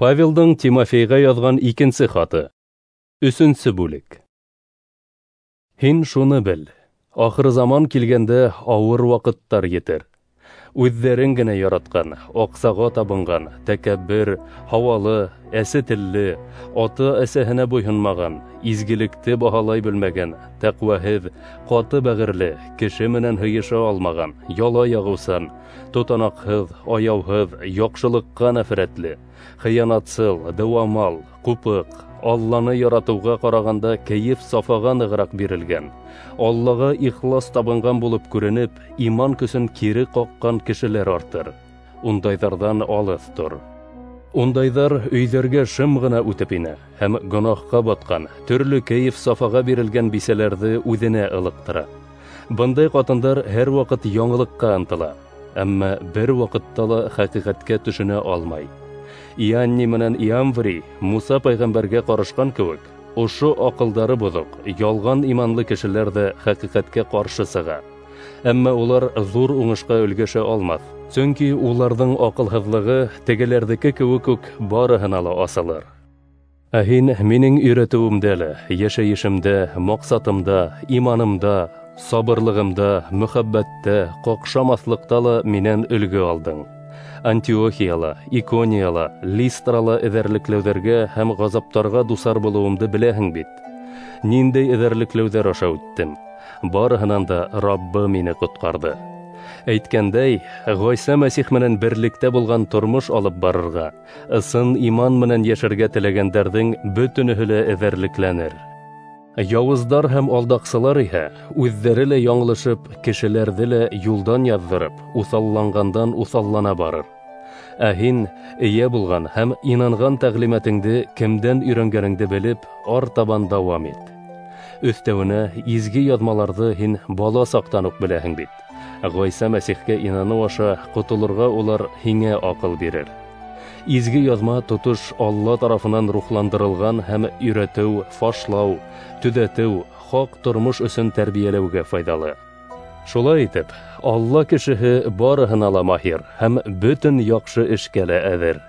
Павелдың Тимофейға яҙған икенсе хаты. 3-нсе бүлек. Һин шуны бел: ахыр заман килгәндә ауыр ваҡыттар етер. Үҙҙәрен генә яратҡан, аҡсаға табынған, тәкәббер, һауалы, әсе телле, ата-әсәһенә буйһонмаған, изгелекте баһалай белмәгән, тәҡүәһеҙ, ҡаты бәғерле, кеше менән һыйыша алмаған, яла яғыусан, тотанаҡһыҙ, аяуһыҙ, яҡшылыҡҡа нәфрәтле, хыянатсыл, дыуамал, ҡупыҡ, Алланы яратыуға ҡарағанда кәйеф сафаға нығыраҡ бирелгән, Аллаға ихлас табынған булып күренеп, иман көсөн кире ҡаҡҡан кешеләр артыр. Ундайҙарҙан алыҫ тор. Ундайҙар өйҙәргә шым ғына үтеп инә һәм гонаһҡа батҡан, төрлө кәйеф сафаға бирелгән бисәләрҙе үҙенә ылыҡтыра. Бындай ҡатындар һәр ваҡыт яңылыҡҡа ынтыла, әммә бер ваҡытта ла хәҡиҡәткә төшөнә алмай. Ианни менән Иамври Муса пәйғәмбәргә ҡарышҡан кеүек, ошо аҡылдары боҙоҡ, ялған иманлы кешеләр ҙә хәҡиҡәткә ҡаршы сыға. Әммә улар ҙур уңышҡа өлгәшә алмаҫ, сөнки уларҙың аҡылһыҙлығы тегеләрҙеке кеүек үк барыһына ла асылыр. Ә һин минең өйрәтеүемдә лә, йәшәйешемдә, маҡсатымда, иманымда, сабырлығымда, мөхәббәттә, ҡаҡшамаҫлыҡта ла минән өлгө алдың. Антиохияла, Иконияла, Листрала эҙәрлекләүҙәргә һәм ғазаптарға дусар булыуымды беләһең бит. Ниндәй эҙәрлекләүҙәр аша үттем. Барыһынан да Раббы мине ҡотҡарҙы. Әйткәндәй, Ғайса Мәсих менән берлектә булған тормош алып барырға, ысын иман менән йәшәргә теләгәндәрҙең бөтөнөһө лә эҙәрлекләнер. Яуыздар һәм алдаҡсылар иһә үҙҙәре лә яңылышып, кешеләрҙе лә юлдан яҙҙырып, уҫалланғандан уҫаллана барыр. Ә һин эйә булған һәм инанған тәғлимәтеңде кемдән өйрәнгәнеңде белеп, артабан дауам ит. Өҫтәүенә изге яҙмаларҙы һин бала саҡтан уҡ беләһең бит. Ғайса Мәсихкә инаныу аша ҡотолорға улар һиңә аҡыл бирер. Изге яҙма тотош Алла тарафынан рухландырылған һәм өйрәтеү, фашлау, төҙәтеү, хаҡ тормош өсөн тәрбиәләүгә файҙалы. Шулай итеп, Алла кешеһе барыһына ла маһир һәм бөтөн яҡшы эшкә лә әҙер.